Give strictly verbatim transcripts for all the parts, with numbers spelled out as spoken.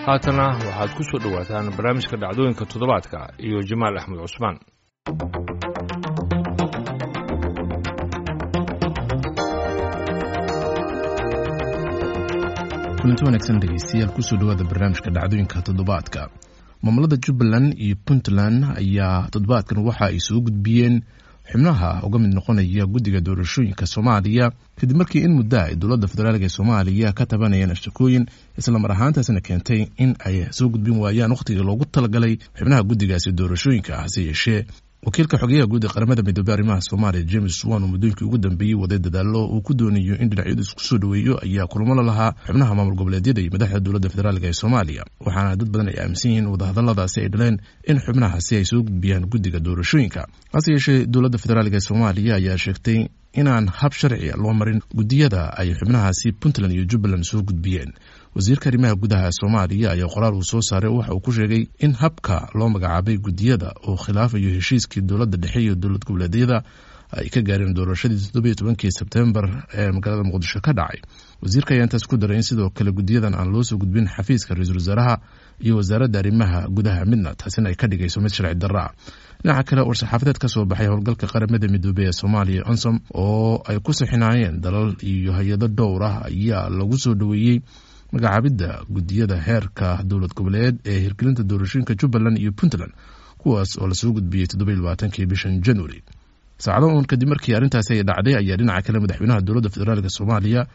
Haatana waxaad ku soo dhowaataan barnaamijka dhacdooyinka toddobaadka iyo Jamaal Axmed Cusmaan. Kulanti wanaagsan dhegeystayaal, kusoo dhawaada barnaamijka dhacdooyinka toddobaadka. Maamulada Jubbaland iyo Puntland ayaa toddobaadkan waxa ay soo gudbiyeen xubnaha uga mid noqonaya guddiga doorashooyinka Soomaaliya, kadib markii in muddo ay dowladda federaalk ee Soomaaliya ka tabanayeen ashtakooyin, islamar ahaantaasna keentay in ay soo gudbin waayaan wakhtigii loogu talagalay xubnaha guddigaasi doorashooyinka. Hase yeeshee, wakiilka xogeyaha guud ee Qaramada Midoobey arrimaha Soomaaliya James Wan, oo muddooyinkii ugu dambeeyey waday dadaalo uu ku doonayo in dhinacyadu isku soo dhoweeyo, ayaa kulamo la lahaa xubnaha maamul goboleedyada iyo madaxda dowladda federaalk ee Soomaaliya, waxaana dad badan ay aaminsan yihiin wadahadaladaasi ay dhaleen in xubnahaasi ay soo gudbiyaan guddiga doorashooyinka. Hase yeeshee, dowladda federaalk ee Soomaaliya ayaa sheegtay inaan hab sharciga loo marin guddiyada ay xubnahaasi Puntland iyo Jubbaland soo gudbiyeen. Wasiirka arrimaha gudaha Soomaaliya ayaa qoraal uu soo saaray waxa uu ku sheegay in habka loo magacaabay guddiyada uu khilaafayo heshiiskii dowladda dhexe iyo dowlad goboleedyada ay ka gaareen doorashadii toddobiyo tobankii Sebtembar ee magaalada Muqdisho ka dhacay. Wasiirka ayaa intaas ku daray in sidoo kale guddiyadan aan loo soo gudbin xafiiska ra-iisul wasaaraha iyo wasaaradda arrimaha gudaha midna, taasina ay ka dhigayso mid sharci darro ah. Dhinaca kale, war-saxaafadeed ka soo baxay howlgalka Qaramada Midoobey ee Soomaaliya ONSOM, oo ay ku sixinaayeen dalal iyo hay-ado dhowr ah, ayaa lagu soo dhoweeyey magacaabidda guddiyada heerka dowlad goboleed ee hirgelinta doorashooyinka Jubbaland iyo Puntland, kuwaas oo lasoo gudbiyey toddobiyo labaatankii bishan January. Saacado uun kadib markii arrintaasi ay dhacday ayaa dhinaca kale madaxweynaha dowladda federaalk Soomaaliya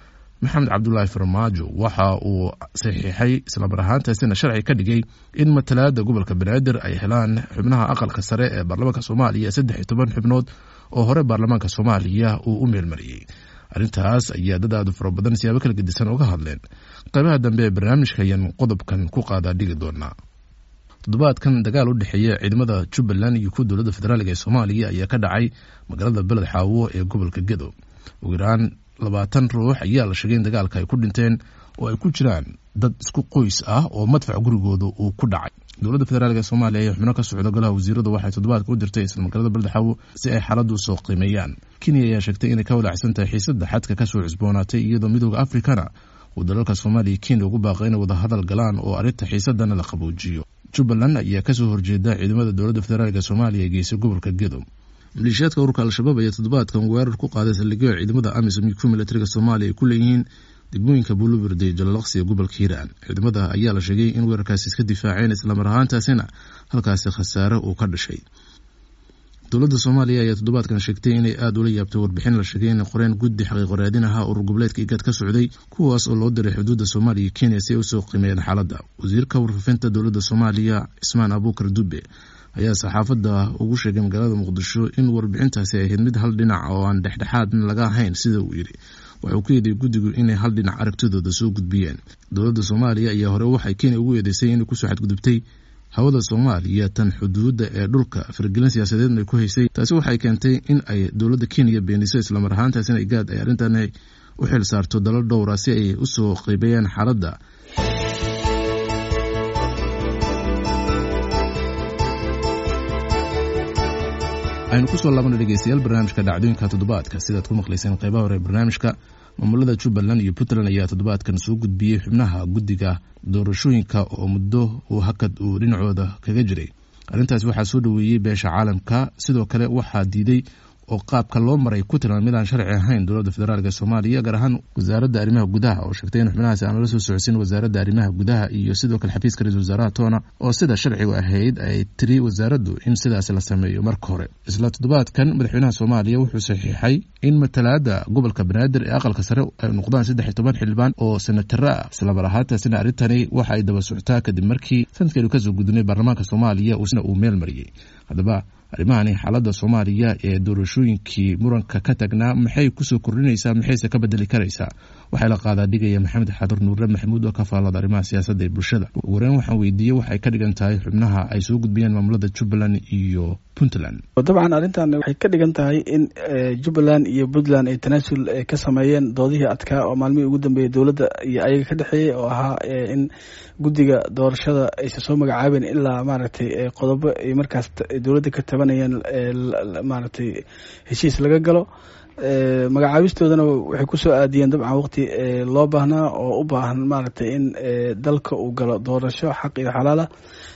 Maxamed Cabdulaahi Farmaajo waxa uu saxiixay, islamar ahaantaasina sharci ka dhigay, in matalaada gobolka Banaadir ay helaan xubnaha aqalka sare ee baarlamaanka Soomaaliya saddex iyo toban xubnood oo hore baarlamaanka Soomaaliya uu u meelmariyey. Arrintaas ayaa dad aadu fara badan siyaabo kala gedisan uga hadleen. Qaybaha dambe ee barnaamijka ayaan qodobkan ku qaadaa dhigi doonaa. Toddobaadkan dagaal u dhexeeya ciidamada Jubbaland iyo kuwa dowladda federaalk ee Soomaaliya ayaa ka dhacay magaalada Beled Xaawo ee gobolka Gedo. Ugu yaraan labaatan ruux ayaa la sheegay in dagaalka ay ku dhinteen, oo ay ku jiraan dad isku qoys ah oo madfac gurigooda uu ku dhacay. Dowladda federaalk ee Soomaaliya ayaa xubno ka socda golaha wasiirada waxay toddobaadka u dirtay isla magaalada Beled Xaawo si ay xaaladdu usoo qiimeeyaan. Kenya ayaa sheegtay inay ka walaacsan tahay xiisadda xadka kasoo cusboonaatay, iyadoo Midooda Afrikana uu dalalka Soomaaliya Kenya ugu baaqay inay wadahadal galaan oo arrinta xiisadana la qaboojiyo. Jubbaland ayaa kasoo horjeeda ciidamada dowladda federaalk Soomaaliya ee geysay gobolka Gedo. Maleeshiyaadka ururka Al-Shabaab ayaa toddobaadkan weerar ku qaaday saldhigyo ciidamada AMISOM iyo kuwa militariga Soomaaliya ay ku leeyihiin degmooyinka Buulubirde iyo Jalalaqsi ee gobolka Hiiraan. Ciidamada ayaa la sheegay in weerarkaasi iska difaaceen, islamar ahaantaasina halkaasi khasaare uu ka dhashay. Dowladda Soomaaliya ayaa toddobaadkan sheegtay inay aada ula yaabtay warbixin la sheegay inay qoreen guddi xaqiiqo raadin ahaa urur goboleedka IGAD ka socday, kuwaas oo loo diray xuduudda Soomaaliya iyo Kenya si ay usoo qiimeeyeen xaaladda. Wasiirka warfaafinta dowladda Soomaaliya Cismaan Abuukar Dube ayaa saxaafadda ugu sheegay magaalada Muqdisho in warbixintaasi ay ahayd mid hal dhinac oo aan dhexdhexaadna laga ahayn. Sida uu yidhi, waxuu ku eedeeyey guddigu inay hal dhinac aragtidooda soo gudbiyeen. Dowladda Soomaaliya ayaa hore waxay Kenya ugu eedeysay inay kusoo xadgudubtay hawada Soomaaliya tan xuduudda ee dhulka, faragelin siyaasadeedna ay ku haysay. Taasi waxay keentay in ay dowladda Kenya beeniso, islamar ahaantaasina IGAD ay arrintan u xil saarto dalal dhowra si ay usoo qiibeeyaan xaaladda. Aynu kusoo laabana dhegeystayaal barnaamijka dhacdooyinka toddobaadka. Sidaad ku maqlayseen qeybaha hore barnaamijka, maamulada Jubbaland iyo Puntland ayaa toddobaadkan soo gudbiyey xubnaha guddiga doorashooyinka oo muddo uu hakad uu dhinacooda kaga jiray. Arrintaasi waxaa soo dhoweeyey beesha caalamka, sidoo kale waxaa diiday oo qaabka loo maray ku tilmaamay mid aan sharci ahayn dowladda federaalk ee Soomaaliya, gaar ahaan wasaaradda arrimaha gudaha, oo sheegtay in xubnahaasi aan lala soo socodsiin wasaaradda arrimaha gudaha iyo sidoo kale xafiiska ra-isul wasaaraha toona, oo sida sharcigu ahayd ay tiri wasaaraddu in sidaasi la sameeyo marka hore. Isla toddobaadkan madaxweynaha Soomaaliya wuxuu saxiixay in matalaada gobolka Banaadir ee aqalka sare ay noqdaan saddex iyo toban xildhibaan oo senataro ah. Islamar ahaantaasina arrintani waxa ay daba socotaa kadib markii sanadkeenu kasoo gudunay baarlamaanka Soomaaliya uusna uu meel mariyey. Haddaba arrimahani xaaladda Soomaaliya ee doorashooyinkii muranka ka tagnaa maxay kusoo kordhinaysaa, maxayse ka bedeli karaysaa? Waxaa la qaadaa dhigaya Maxamed Xaadar Nuure Maxamuud oo ka faallada arrimaha siyaasadda ee bulshada. Ugu horeyn waxaan weydiiyey waxay ka dhigan tahay xubnaha ay soo gudbiyeen maamulada Jubbaland iyo Puntland. Dabcan arrintan waxay ka dhigan tahay in Jubbaland iyo Puntland ay tanaasul ka sameeyeen doodihii adkaa oo maalmihii ugu dambeeyey dowladda iyo ayaga ka dhexeeyey, oo ahaa in guddiga doorashada aysan soo magacaabeen ilaa maaragtay qodobo ay markaas dowladda ka tabanayeen maaragtay heshiis laga galo. Magacaabistoodana waxay kusoo aadiyeen dabcan waqti loo baahnaa oo u baahan maaragtay in dalka uu galo doorasho xaq iyo xalaala.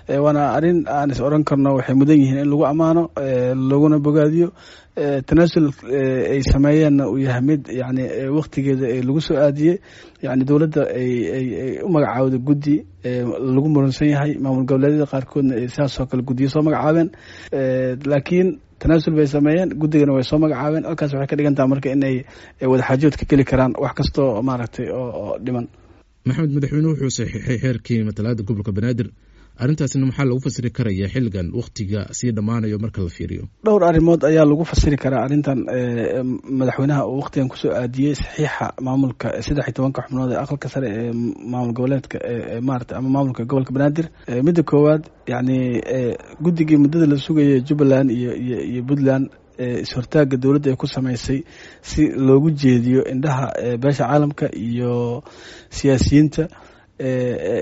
Waana arrin aan is oran karno waxay mudan yihiin in lagu ammaano laguna bogaadiyo, tanaasul ay sameeyeenna uu yahay mid yani waqtigeeda lagu soo aadiyey, yani dowladda ay ay u magacaawda guddi lagu muransan yahay, maamul goboleedyada qaarkoodna ay sidaasoo kale guddiyo soo magacaabeen, laakiin tanaasul bay sameeyeen, guddigana way soo magacaabeen. Halkaas waxay ka dhigan taha marka inay wadaxaajood ka geli karaan wax kastoo maaragtay oo dhiman. Maxamed, madaxweynuhu wuxuu saxiixay xeerkii matalaada gobolka Banaadir, arrintaasna maxaa lagu fasiri karaya xilligan wakhtiga sii dhammaanayo marka la fiiriyo? Dhowr arrimood ayaa lagu fasiri karaa arrintan madaxweynaha uu wakhtigan kusoo aadiyey saxiixa maamulka saddex iyo tobanka xubnood ee aqalka sare ee maamul goboleedka maarata ama maamulka gobolka Banaadir. Midda koowaad, yacni guddigii muddada la sugayay Jubbaland iyo iyo iyo Puntland is-hortaagga dowladda ay ku sameysay si loogu jeediyo indhaha beesha caalamka iyo siyaasiyiinta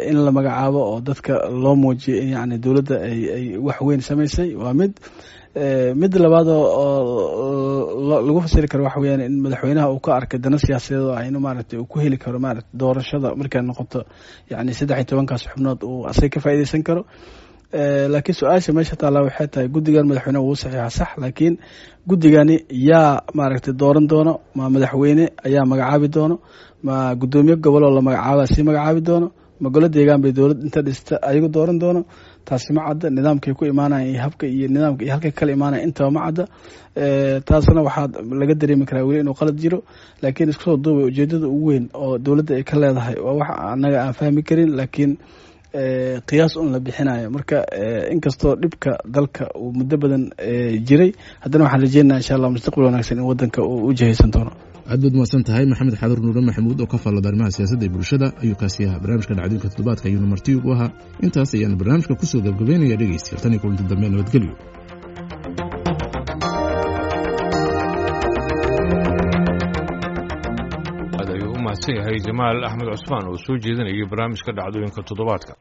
in la magacaabo oo dadka loo muujiyo in yani dowladda ay ay wax weyn samaysay, waa mid. Midda labaad oo lagu fasiri karo waxa weyaan in madaxweynaha uu ka arkay dana siyaasadeed oo ah inuu maaragtay uu ku heli karo maarata doorashada markay noqoto yani saddex iyo tobankaas xubnood uu asaga ka faa'iideysan karo. Laakiin su-aasha meesha taallaa waxay tahay, guddigan madaxweyneha wuu saxiixa sax, laakiin guddigani yaa maaragtay dooran doono? Ma madaxweyne ayaa magacaabi doono? Ma guddoomiye goboloo la magacaaba sii magacaabi doono? Ma golo deegaan bay dowlad inta dhista ayagu dooran doono? Taasi ma cadda. Nidaamkay ku imaanayan iyo habka iyo nidaamka iyo halkay kala imaanayan intaba ma cadda. Taasna waxaa laga dareemi karaa weli inuu qalad jiro. Laakiin isku soo duubay, ujeedada ugu weyn oo dowladda ay ka leedahay waa wax annaga aan fahmi karin, laakiin qiyaas un la bixinayo. Marka inkastoo dhibka dalka uu muddo badan jiray, haddana waxaan rajeynaya insha Allah mustaqbal wanaagsan in wadanka uu u jihaysan doono. Aad baad mahadsan tahay Maxamed Xaadar Nuure Maxamuud oo ka faallada arrimaha siyaasadda ee bulshada ayuu kaasi ahaa. Barnaamijka dhacdooyinka toddobaadka ayuuna marti ugu ahaa. Intaas ayaanu barnaamijka kusoo gabgabaynaya dhegeystayaal. Tan iyo kulanti dambe, nabadgelyo. Aad ayuu u mahadsan yahay Jamaal Axmed Cusmaan oo soo jeedinayay barnaamijka dhacdooyinka toddobaadka.